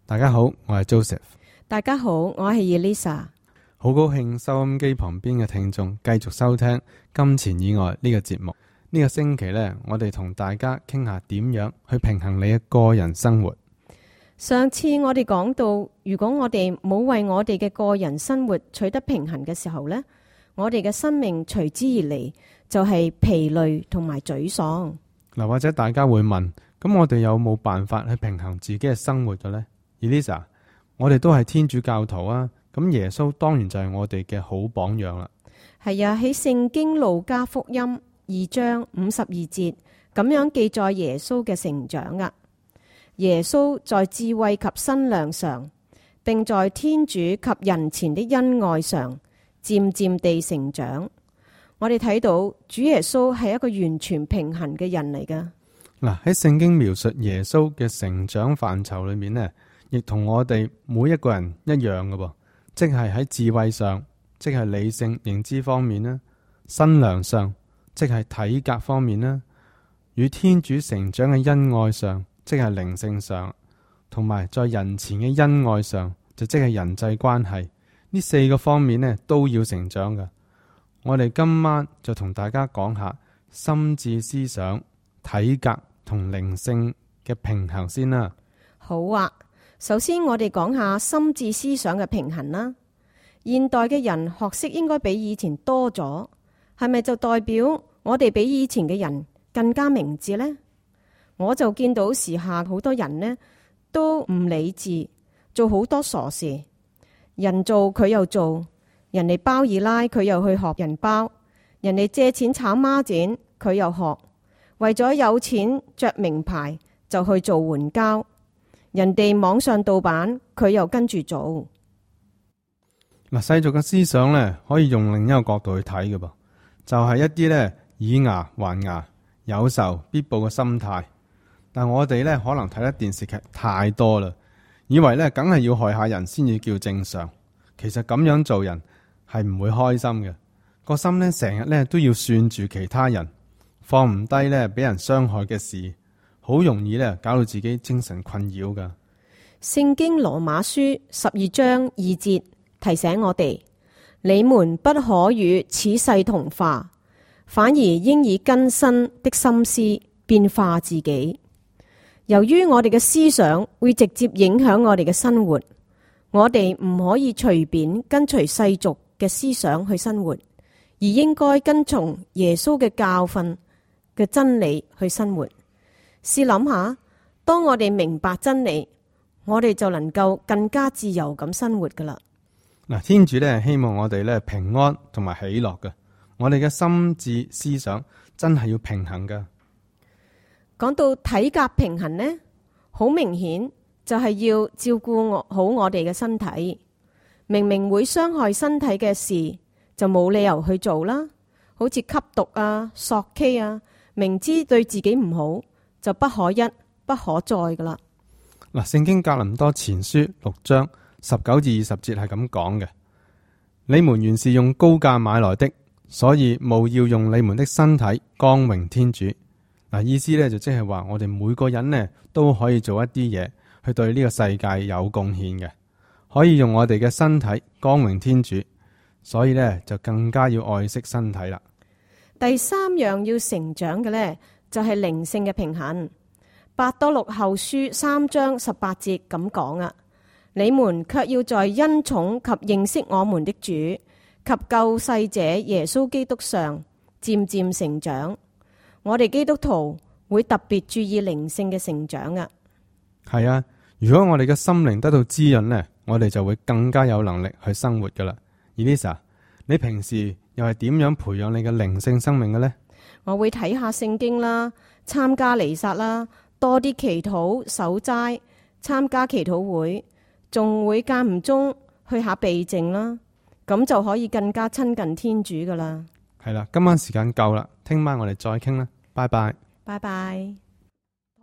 大家好，我係 Joseph。大家好，我係 Elisa。好高興收音機旁邊嘅聽眾繼續收聽金錢以外呢個節目。呢個星期呢，我哋同大家傾下點樣去平衡你嘅個人生活。上次我哋講到，如果我哋冇為我哋嘅個人生活取得平衡嘅時候呢，我哋嘅生命隨之而嚟就係疲累同埋沮喪。嗱，或者大家會問，咁我哋有冇辦法去平衡自己嘅生活嘅呢？ Elisa， 我哋都係天主教徒啊，咁耶穌當然就係我哋嘅好榜樣啦。係啊，喺聖經路加福音2章52節咁樣記載耶穌嘅成長啊。耶穌在智慧及身量上，並在天主及人前的恩愛上，漸漸地成長。我哋睇到主耶穌係一個完全平衡嘅人嚟噶。嗱，喺聖經描述耶穌嘅成長範疇裏面呢，亦同我哋每一個人一樣嘅噃，即係喺智慧上，即係理性認知方面啦；身量上，即係體格方面啦；與天主成長嘅恩愛上，即係靈性上，同埋在人前嘅恩愛上，就即係人際關係。呢4個方面呢，都要成長嘅。我哋今晚就同大家講下心智思想、體格同靈性嘅平衡先啦。好啊，首先我哋講下心智思想嘅平衡啦。現代嘅人學識應該比以前多咗，係咪就代表我哋比以前嘅人更加明智呢？我就見到時下好多人呢都唔理智，做好多傻事。人做佢又做，人哋包二奶佢又去學人包，人哋借錢炒孖展佢又學，為咗有錢着名牌就去做援交，人哋網上盜版佢又跟住做。嗱，世俗嘅思想呢，可以用另一個角度去睇嘅噃，就係一啲呢以牙還牙、有仇必報嘅心態。但我哋呢，可能睇得電視劇太多啦，以為呢梗係要害下人先至叫正常。其實咁樣做人係唔會開心嘅，個心呢成日呢都要算住其他人，放唔低呢俾人傷害嘅事，好容易呢搞到自己精神困擾噶。聖經羅馬書12章2節提醒我哋：你們不可與此世同化，反而應以更新的心思變化自己。由於我哋嘅思想會直接影響我哋嘅生活，我哋唔可以隨便跟隨世俗嘅思想去生活，而應該跟從耶穌嘅教訓嘅真理去生活。試諗下，當我哋明白真理，我哋就能夠更加自由咁生活噶啦。嗱，天主咧希望我哋咧平安同埋喜樂嘅，我哋嘅心智思想真係要平衡噶。講到體格平衡呢，好明顯就係要照顧好我哋嘅身體。明明會傷害身體嘅事，就冇理由去做啦。好似吸毒啊、索 K 啊，明知對自己唔好，就不可一不可再噶啦。嗱，聖經格林多前書6章19至20節係咁講嘅：你們原是用高價買來的，所以務要用你們的身體光榮天主。嗱，意思咧就即係話，我哋每個人呢都可以做一啲嘢去對呢個世界有貢獻嘅，可以用我哋嘅身體光榮天主，所以呢，就更加要愛惜身體啦。第3樣要成長嘅呢，就係靈性嘅平衡。伯多祿後書3章18節咁講啊：你們卻要在恩寵及認識我們的主及救世者耶穌基督上漸漸成長。我哋基督徒會特別注意靈性嘅成長啊。係啊，如果我哋嘅心靈得到滋潤呢，我哋就會更加有能力去生活噶啦。Elisa，你平時又係點樣培養你嘅靈性生命嘅呢？我會睇下聖經啦，參加彌撒啦，多啲祈禱守齋，參加祈禱會，仲會間唔中去下避靜啦，咁就可以更加親近天主噶啦。係啦，今晚時間夠啦，聽晚我哋再傾啦，拜拜。拜拜。